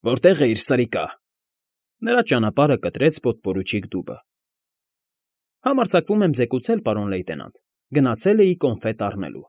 Որտե՞ղ է իր սրիկա։ Նրա ճանապարհը կտրեց պոդպորուչիկ դուբը։ Համարձակվում եմ զեկուցել, պարոն լեյտենանտ, գնացել էի կոնֆետ առնելու։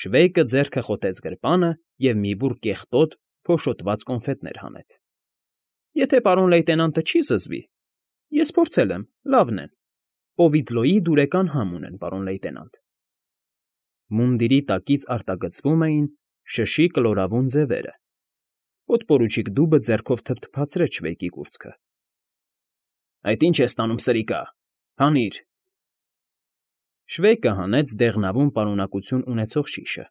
Շվեյկը ձեռքը խոթեց գրպանը և մի բուռ կեղտոտ, փոշոտված կոնֆետներ հանեց։ Եթե պարոն լեյտենանտը չի զզվի, ես փորձել եմ, լավն են։ Պովիդլոյի դուրեկան համ ունեն, պարոն լեյտենանտ։ Մունդիրի տակից արտագծվում էին շշի կլորավուն ձևերը։ Պոդպորուչիկ դուբը ձեռքով թփթփացրեց Շվեյկի կուրծքը։ Այդ ի՞նչ ես տանում, սրիկա, հանիր։ Շվեյկը հանեց դեղնավուն պարունակություն ունեցող շիշը,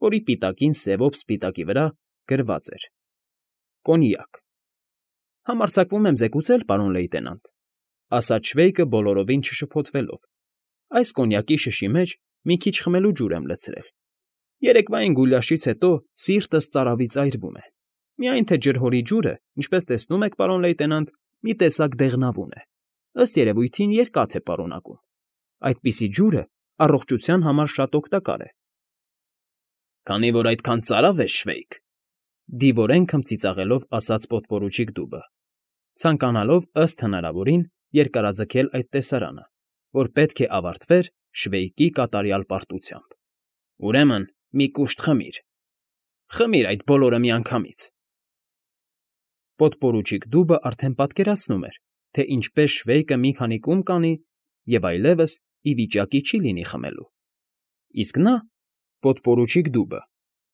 որի պիտակին սևով սպիտակի վրա գրված էր. Կոնյակ։ Համարձակվում եմ զեկուցել, պարոն լեյտենանտ, ասաց Շվեյկը բոլորովին չշփոթվելով. այս կոնյակի շշի մեջ մի քիչ խմելու ջուր եմ լցրել։ Երեկվային գուլյաշից հետո սիրտս ծարավից այրվում է։ Միայն թե ջրհորի ջուրը, ինչպես տեսնում եք, պարոն լեյտենանտ, մի տեսակ դեղնավուն է, ըստ երևույթին երկաթ է պարունակում։ Այդպիսի ջուրը առողջության համար շատ օգտակար է։ Քանի որ այդքան ծարավ ես, Շվեյկ, դիվորեն քմծիծաղելով ասաց պոդպորուչիկ դուբը, ցանկանալով ըստ հնարավորին երկարաձգել այդ տեսարանը, որ պետք է ավարտվեր Շվեյկի կատարյալ պարտությամբ։ Ուրեմն մի կուշտ խմիր։ Խմիր այդ բոլորը միանգամից։ Պոդպորուչիկ դուբը արդեն պատկերացնում էր, թե ինչպես Շվեյկը մի քանի կում կանի և այլևս ի վիճակի չի լինի խմելու։ Իսկ նա, պոդպորուչիկ դուբը,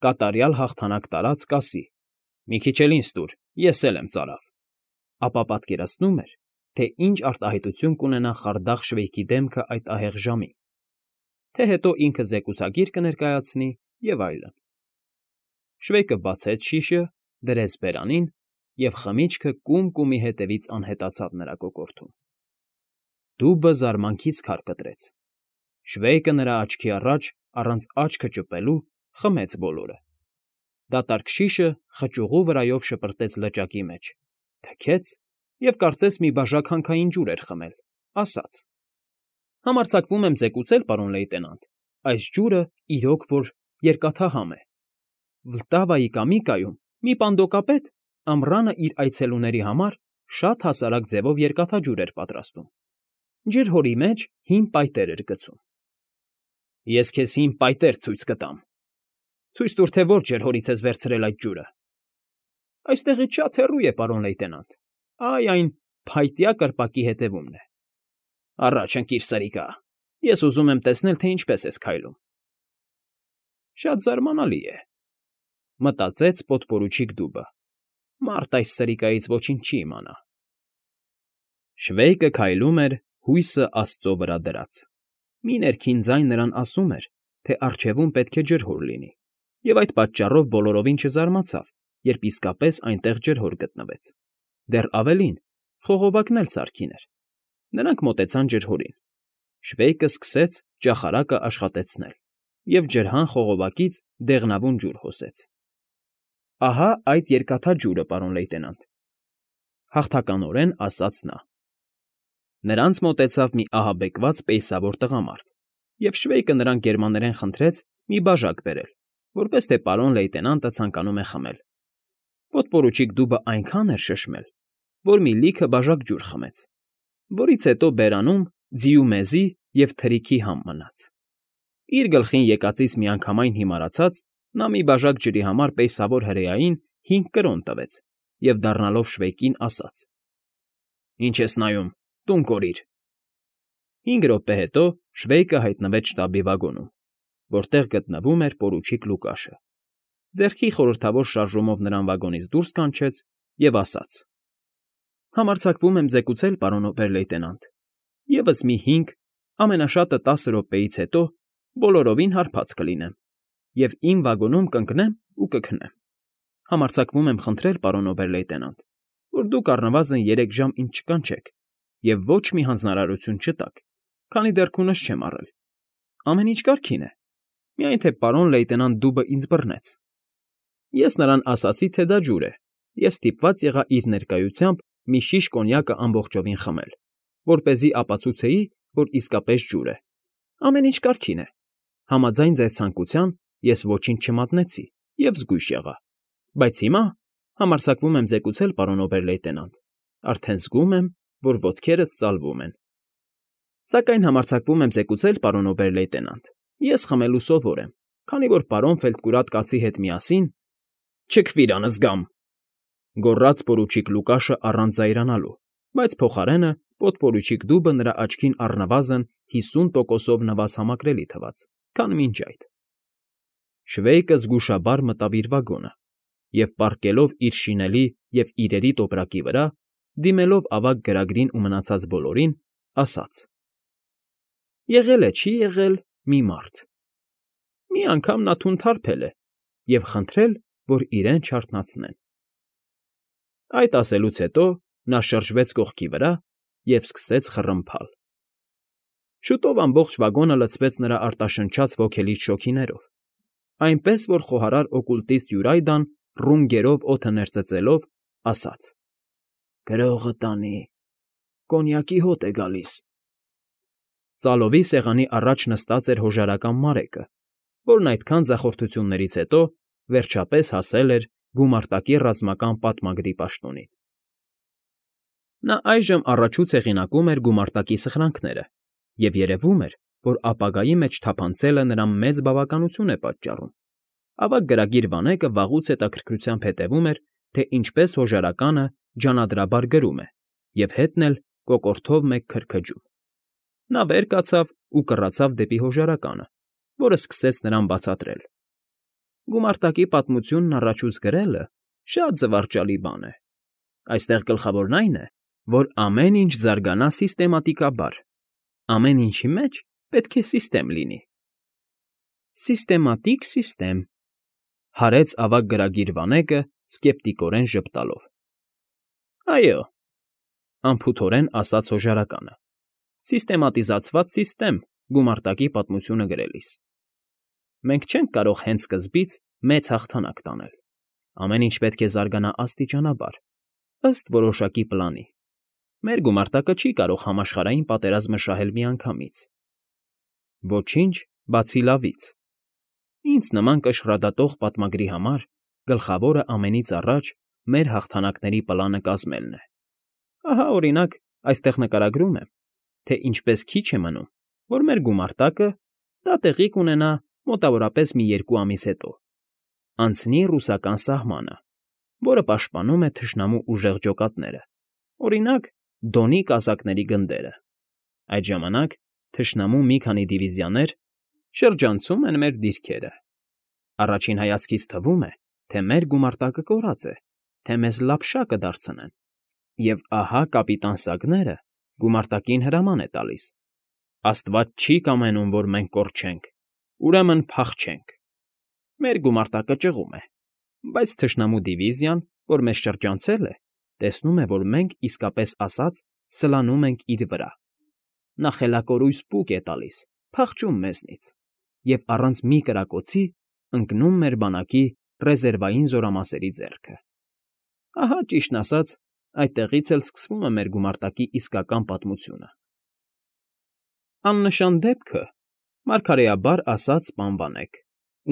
կատարյալ հաղթանակ տարած կասի. մի քիչ էլ ինձ տուր, ես էլ եմ ծարավ, ապա պատկերացնում էր, թե ինչ արտահայտություն կունենա խարդախ Շվեյկի դեմքը այդ ահեղ ժամին, թե հետո ինքը զեկուցագիր կներկայացնի և այլն։ Շվեյկը բացեց շիշը, դրեց բերանին, և խմիչքը կում֊կումի հետևից անհետացավ նրա կոկորդում։ Դուբը զարմանքից քար կտրեց։ Շվեյկը նրա աչքի առաջ, առանց աչքը ճպելու, խմեց բոլորը։ Դատարկ շիշը խճուղու վրայով շպրտեց լճակի մեջ, թքեց և կարծես մի բաժակ հանքային ջուր էր խմել, ասաց. Համարձակվում եմ զեկուցել, պարոն լեյտենանտ, այս ջուրը իրոք որ երկաթահամ է։ Վլտավայի կամիկայում մի պանդոկապետ ամռանը իր այցելուների համար շատ հասարակ ձևով երկաթաջուր էր պատրաստում։ Ջրհորի մեջ հին պայտեր էր գցում։ Ես քեզ հին պայտեր ցույց կտամ։ Ցույց տուր, թե որ ջրհորից ես վերցրել այդ ջուրը։ Այստեղից շատ հեռու է, պարոն լեյտենանտ։ Այ այն փայտյա կրպակի հետևումն է։ Առաջ ընկիր, սրիկա, ես ուզում եմ տեսնել, թե ինչպես ես քայլում։ Շատ զարմանալի է, մտածեց պոդպորուչիկ դուբը։ Մարդ այս սրիկայից ոչինչ չի իմանա։ Շվեյկը քայլում էր հույսը աստծո վրա դրած։ Մի ներքին ձայն նրան ասում էր, թե առջևում պետք է ջրհոր լինի, և այդ պատճառով բոլորովին չզարմացավ, երբ իսկապես այնտեղ ջրհոր գտնվեց։ Դեռ ավելին, խողովակն էլ սարքին էր։ Նրանք մոտեցան ջրհորին։ Շվեյկը սկսեց ճախարակը աշխատեցնել և ջրհան խողովակից դեղնավուն ջուր հոսեց։ Ահա այդ երկաթաջուրը, պարոն լեյտենանտ, հաղթականորեն ասաց նա։ Նրանց մոտեցավ մի ահաբեկված պեյսավոր տղամարդ, և Շվեյկը նրան գերմաներեն խնդրեց մի բաժակ բերել, որպես թե պարոն լեյտենանտը ցանկանում է խմել։ Պոդպորուչիկ դուբը այնքան էր շշմել, որ մի լիքը բաժակ ջուր խմեց, որից հետո բերանում ձիու մեզի և թրիքի համ մնաց։ Իր գլխին եկածից միանգամայն հիմարացած, նա մի բաժակ ջրի համար պեյսավոր հրեային 5 կրոն տվեց և դառնալով Շվեյկին ասաց. Ինչ ես նայում, տուն կորիր։ 5 րոպե հետո Շվեյկը հայտնվեց շտաբի վագոնում, որտեղ գտնվում էր պորուչիկ Լուկաշը։ Ձեռքի խորհրդավոր շարժումով նրան վագոնից դուրս կանչեց և ասաց. Համարձակվում եմ զեկուցել, պարոն օբեր֊լեյտենանտ, ևս մի 5, ամենաշատը 10 րոպեից հետո բոլորովին հարբած կլինեմ և իմ վագոնում կընկնեմ ու կքնեմ։ Համարձակվում եմ խնդրել, պարոն օբեր֊լեյտենանտ, որ դուք առնվազն 3 ժամ ինձ չկանչեք և ոչ մի հանձնարարություն չտաք, քանի դեռ քունս չեմ առել։ Ամեն ինչ կարգին է, միայն թե պարոն լեյտենանտ Դուբը ինձ բռնեց։ Ես նրան ասացի, թե դա ջուր է, և ստիպված եղա իր ներկայությամբ մի շիշ կոնյակը ամբողջովին խմել, որպեսզի ապացուցեի, որ իսկապես ջուր է։ Ամեն ինչ կարգին է։ Համաձայն ձեր ցանկության ես ոչինչ չմատնեցի և զգույշ եղա։ Բայց հիմա Համարձակվում եմ զեկուցել, պարոն օբեր֊լեյտենանտ, արդեն զգում եմ, որ ոտքերս ծալվում են։ Սակայն համարձակվում եմ զեկուցել, պարոն օբեր֊լեյտենանտ, ես խմելու սովոր եմ, քանի որ պարոն Ֆելտկուրատ կացի հետ միասին… Չքվիր անզգամ,֊ գոռաց պորուչիկ Լուկաշը առանց զայրանալու, բայց փոխարենը պոդպորուչիկ Դուբը նրա աչքին առնվազն 50%-ով նվազ համակրելի թվաց, քան մինչ այդ։ Շվեյկը զգուշաբար մտավ իր վագոնը և, պառկելով իր շինելի և իրերի տոպրակի վրա, դիմելով ավագ գրագրին ու մնացած բոլորին, ասաց. «Եղել է, չի եղել, մի մարդ… Մի անգամ նա թուն թարփել է և խնդրել, որ իրեն չարթնացնեն»։ Այդ ասելուց հետո նա շրջվեց կողքի վրա և սկսեց խռմփալ։ Շուտով ամբողջ վագոնը լցվեց նրա արտաշնչած ոգելից շոգիներով, այնպես որ խոհարար օկուլտիստ Յուրայդան, ռունգերով օդը ներծծելով, ասաց. «Գրողը տանի, կոնյակի հոտ է գալիս»։ Ծալովի սեղանի առաջ նստած էր հոժարական Մարեկը, որն այդքան ձախորդություններից հետո, վերջապես, հասել էր գումարտակի ռազմական պատմագրի պաշտոնին։ Նա այժմ առաջուց հեղինակում էր գումարտակի սխրանքները, և երևում էր, որ ապագայի մեջ թափանցելը նրան մեծ բավականություն է պատճառում։ Ավագ գրագիր Վանեկը վաղուց հետաքրքրությամբ հետևում էր, թե ինչպես հոժարականը ջանադրաբար գրում է, և հետն էլ կոկորդով մեկ քրքջում։ Նա վեր կացավ ու կռացավ դեպի հոժարականը, որը սկսեց նրան բացատրել. «Գումարտակի պատմությունն առաջուց գրելը շատ զվարճալի բան է։ Այստեղ գլխավորն այն է, որ ամեն ինչ զարգանա սիստեմատիկաբար, ամեն ինչի մեջ պետք է սիստեմ լինի»։ «Սիստեմատիկ սիստեմ», հարեց ավագ գրագիր Վանեկը սկեպտիկորեն ժպտալով։ «Այո,֊ անփութորեն ասաց հոժարականը,֊ սիստեմատիզացված սիստեմ գումարտակի պատմությունը գրելիս։ Մենք չենք կարող հենց սկզբից մեծ հաղթանակ տանել, ամեն ինչ պետք է զարգանա աստիճանաբար, ըստ որոշակի պլանի։ Մեր գումարտակը չի կարող համաշխարհային պատերազմը շահել միանգամից։ Ոչինչ, բացի լավից։ Ինձ նման կշռադատող պատմագրի համար գլխավորը ամենից առաջ մեր հաղթանակների պլանը կազմելն է։ Ահա, օրինակ, այստեղ նկարագրում եմ, թե ինչպես քիչ է մնում, որ մեր գումարտակը (դա տեղի կունենա մոտավորապես մի 2 ամիս հետո) անցնի ռուսական սահմանը, որը պաշտպանում է թշնամու ուժեղ ջոկատները, օրինակ, Դոնի կազակների գնդերը։ Այդ ժամանակ թշնամու մի քանի դիվիզիաներ շրջանցում են մեր դիրքերը։ Առաջին հայացքից թվում է, թե մեր գումարտակը կորած է, թե մեզ լափշա կդարձնեն, և ահա կապիտան Սագները գումարտակին հրաման է տալիս. «Աստված չի կամենում, որ մենք կորչենք, ուրեմն փախչենք»։ Մեր գումարտակը ճղում է, բայց թշնամու դիվիզիան, որ մեզ շրջանցել է, տեսնում է, որ մենք, իսկապես ասած, սլանում ենք իր վրա։ Նա խելակորույս պուկ է տալիս, փախչում մեզնից և առանց մի կրակոցի ընկնում մեր բանակի ռեզերվային զորամասերի ձեռքը։ Ահա, ճիշտն ասած, այդտեղից էլ սկսվում է մեր գումարտակի իսկական պատմությունը։ Աննշան դեպքը, մարգարեաբար ասաց պան Վանեք,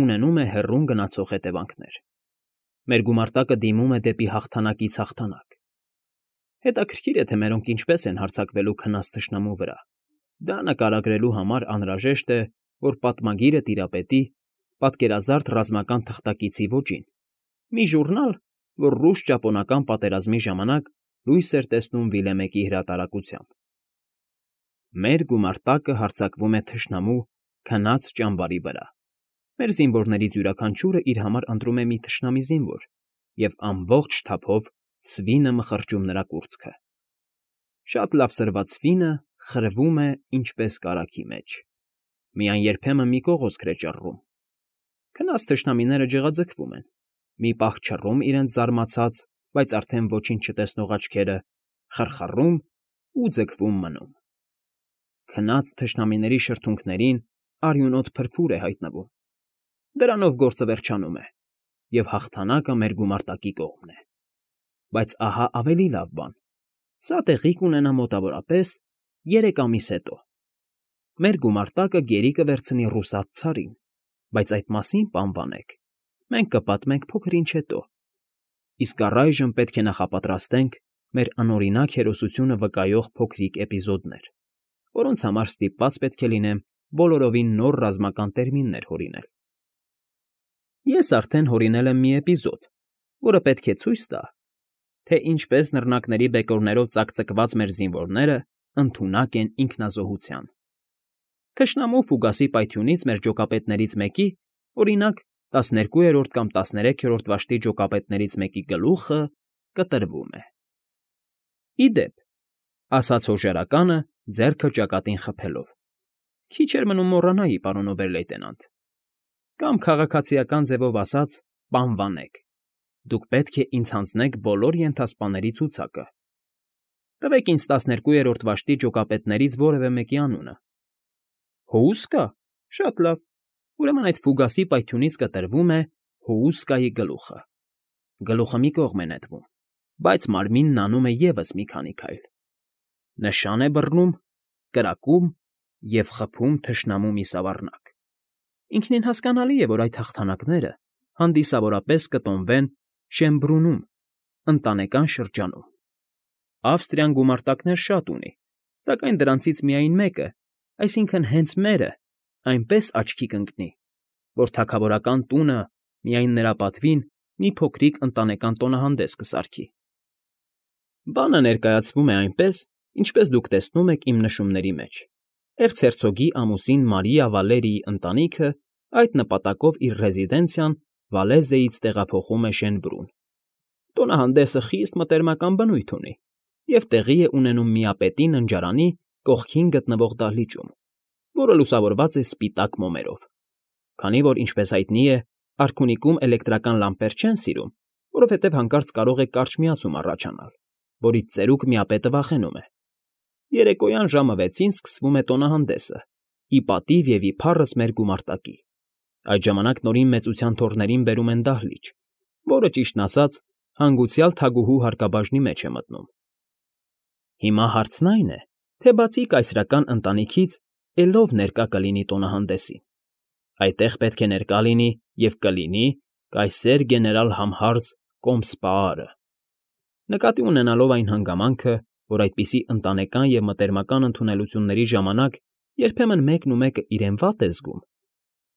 ունենում է հեռուն գնացող հետևանքներ։ Մեր գումարտակը դիմում է դեպի հաղթանակից հաղթանակ։ Հետաքրքիր է, թե մերոնք ինչպես են հարձակվելու քնած թշնամու վրա։ Դա նկարագրելու համար անհրաժեշտ է, որ պատմագիրը տիրապետի պատկերազարդ ռազմական թղթակիցի ոճին, մի ժուռնալ, որ ռուս֊ճապոնական պատերազմի ժամանակ լույս էր տեսնում Վիլեմեկի հրատարակությամբ։ Մեր գումարտակը հարձակվում է թշնամու քնած ճամբարի վրա։ Մեր զինվորներից յուրաքանչյուրը իր համար ընտրում է մի թշնամի զինվոր և ամբողջ թափով սվինը մխրճում նրա կուրծքը։ Շատ լավ սրված սվինը խրվում է ինչպես կարագի մեջ։ Միայն երբեմն մի կողոսկր է ճռռում։ Քնած թշնամիները ջղաձգվում են, մի պահ չռում իրենց զարմացած, բայց արդեն ոչինչ չտեսնող աչքերը, խռխռում ու ձգվում մնում։ Քնած թշնամիների շրթունքներին արյունոտ փրփուր է հայտնվում։ Դրանով գործը վերջանում է, և հաղթանակը մեր գումարտակի կողմն է։ Բայց ահա ավելի լավ բան. սա տեղի կունենա մոտավորապես 3 ամիս հետո։ Մեր գումարտակը գերի կվերցնի ռուսաց ցարին, բայց այդ մասին, պան Վանեք, մենք կպատմենք փոքր ինչ հետո։ Իսկ առայժմ պետք է նախապատրաստենք մեր անօրինակ հերոսությունը վկայող փոքրիկ էպիզոդներ, որոնց համար ստիպված պետք է լինեմ բոլորովին նոր ռազմական տերմիններ հորինել։ Ես արդեն հորինել եմ մի էպիզոդ, որը պետք է ցույց տա, թե ինչպես նռնակների բեկորներով ծակծկված մեր զինվորները ընդունակ են ինքնազոհության։ Թշնամու ֆուգասի պայթյունից մեր ջոկապետներից մեկի, օրինակ, 12-րդ կամ 13-րդ վաշտի ջոկապետներից մեկի գլուխը կտրվում է։ Ի դեպ, ասաց հոժարականը, ձեռքը ճակատին խփելով. Քիչ էր մնում մոռանայի, պարոն օբեր֊լեյտենանտ, կամ քաղաքացիական ձևով ասած, պանվանեք։ Դուք պետք է ինձ հանձնեք բոլոր ենթասպաների ցուցակը։ Տվեք ինձ 12-րդ վաշտի ջոկապետներից որևէ մեկի անունը։ Հոուսկա։ Շատ լավ։ Ուրեմն այդ ֆուգասի պայթյունից կտրվում է Հոուսկայի գլուխը։ Գլուխը մի կողմ է նետվում, բայց մարմինն անում է ևս մի քանի քայլ։ Նշան է բռնում, կրակում և խփում թշնամու միսավառնակ։ Ինքնին հասկանալի է, որ այդ հաղթանակները հանդիսավորապես կտոնվեն Շեմբրունում, Ընտանեկան շրջանում։ Ավստրիան գումարտակներ շատ ունի, սակայն դրանցից միայն մեկը, այսինքն հենց մերը, այնպես աչքի կընկնի, որ թագավորական տունը միայն նրա պատվին մի փոքրիկ ընտանեկան տոնահանդես կսարքի։ Բանը ներկայացվում է այնպես, ինչպես դուք տեսնում եք իմ նշումների մեջ։ Էրցհերցոգի ամուսին Մարիա Վալերիի ընտանիքը այդ նպատակով իր ռեզիդենցիան Վալեզեից տեղափոխում է Շենբրուն։ Տոնահանդեսը խիստ մտերմական բնույթ ունի և տեղի է ունենում միապետի ննջարանի կողքին գտնվող դահլիճում, որը լուսավորված է սպիտակ մոմերով։ Քանի որ, ինչպես հայտնի է, արքունիքում էլեկտրական լամպեր չեն սիրում, որովհետև հանկարծ կարող է կարճ միացում առաջանալ, որից ծերուկ միապետը վախենում է։ Երեկոյան ժամը 6-ին սկսվում է տոնահանդեսը, ի պատիվ և ի փառս մեր գումարտակի։ Այդ ժամանակ նորին մեծության թոռներին բերում են դահլիճ, որը, ճիշտն ասած, հանգուցյալ թագուհու հարկաբաժնի մեջ է մտնում։ Հիմա հարցն այն է, թե բացի կայսրական ընտանիքից ելով ներկա կլինի տոնահանդեսին։ Այդտեղ պետք է ներկա լինի և կլինի կայսեր գեներալ Համհարզ Կոմսպաարը։ Նկատի ունենալով այն հանգամանքը, որ այդպիսի ընտանեկան և մտերմական ընդունելությունների ժամանակ երբեմն մեկն ու մեկը իրեն վատ է զգում,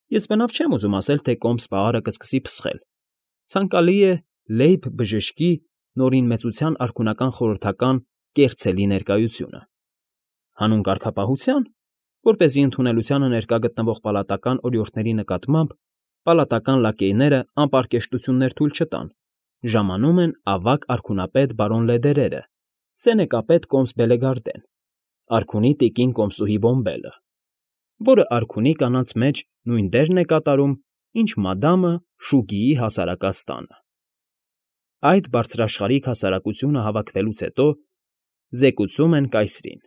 ես բնավ չեմ ուզում ասել, թե Կոմսպաարը կսկսի փսխել։ Ցանկալի է Լեյբ բժշկի նորին մեծության արքունական խորհրդական կեղծելի ներկայությունը։ Հանուն կարգապահության, որպեսզի ընդունելությանը ներկա գտնվող պալատական օրիորդների նկատմամբ պալատական լակեյները անպարկեշտություններ թույլ չտան, ժամանում են ավագ արքունապետ բարոն Լեդերերը, սենեկապետ Կոմս Բելեգարդեն, արքունի տիկին Կոմսուհի Բոմբելը, որը արքունի կանանց մեջ նույն դերն է կատարում, ինչ մադամը Շուգիի հասարակած տանը։ Այդ բարձրաշխարհիկ հասարակությունը հավաքվելուց հետո զեկուցում են կայսրին։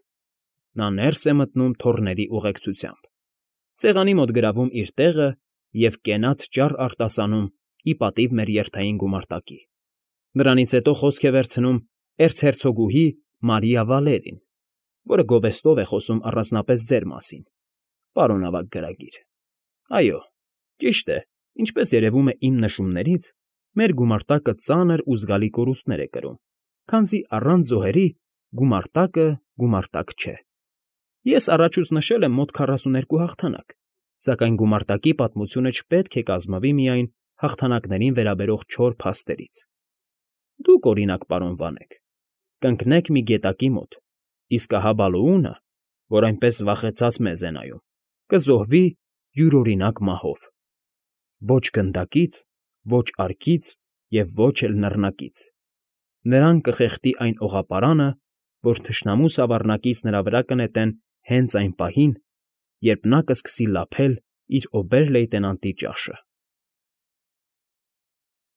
Նա ներս է մտնում թոռների ուղեկցությամբ, սեղանի մոտ գրավում իր տեղը և կենաց ճառ արտասանում ի պատիվ մեր երթային գումարտակի։ Նրանից հետո խոսք է վերցնում էրցհերցոգուհի Մարիա Վալերին, որը գովեստով է խոսում առանձնապես ձեր մասին, պարոն ավագ գրագիր։ Այո, ճիշտ է, ինչպես երևում է իմ նշումներից, մեր գումարտակը ծանր ու զգալի կորուստներ է կրում, քանզի առանց զոհերի գումարտակը գումարտակ չէ։ Ես առաջուց նշել եմ մոտ 42 հաղթանակ, սակայն գումարտակի պատմությունը չպետք է կազմվի միայն հաղթանակներին վերաբերող չոր փաստերից։ Դուք, օրինակ, պարոն Վանեք, կընկնեք մի գետակի մոտ, իսկ ահա Բալոունը, որ այնպես վախեցած մեզ է նայում, կզոհվի յուրօրինակ մահով։ Ոչ գնդակից, ոչ արկից և ոչ էլ նռնակից։ Նրան կխեղդի այն օղապարանը, որ թշնամու սավառնակից նրա վրա կնետեն հենց այն պահին, երբ նա կսկսի լափել իր օբեր֊լեյտենանտի ճաշը։